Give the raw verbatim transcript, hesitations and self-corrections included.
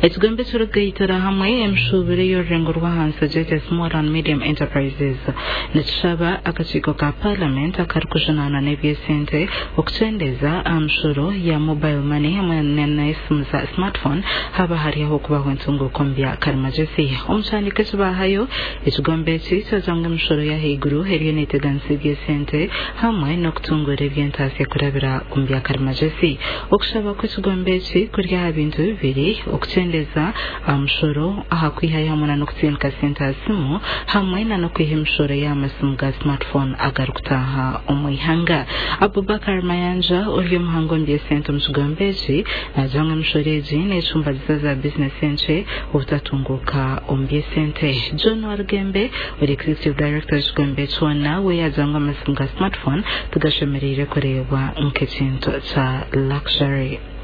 Ekigombe ekirikugaitira hamwe emishuuburo ey'orurengo rw'ahansi gyete Small and Medium Enterprises nikishaba akakiiko ka Parliament akarikujunaanwa n'eby'esente okukyendeza aha mishoro ya mobile money hamwe n'esimu za smartphone haba hari aho okubaho entunguuka omu bya karimagyezi. Omu kihandiiko eki bahayo, ekigombe eki kyagira ngu emishoro y'ahaiguru eriyo neeteganisa eby'esente hamwe n'okutunguura eby'entaasya kurabira omu bya karimagyezi. Okushaba kw'ekigombe eki kuri aha bintu bibiri: okukyendeza aha mushoro aha kwihayo hamwe n'okutsindika sente aha simu, hamwe n'okwiha emishoro y'amasimu ga smartphone agarikutaaha omu ihanga. Abubakar Mayanja, ori omuhango omu by'esente omu kigombe eki, naagira ngu emishoro egi neecumbagiza za bizinesi enkye obutatunguuka omu by'esente. John Warugembe, ori executive director w'ekigombe kyona, we yagira ngu amasimu ga smartphone tigashemereire kureebwa nk'ekintu kya luxury.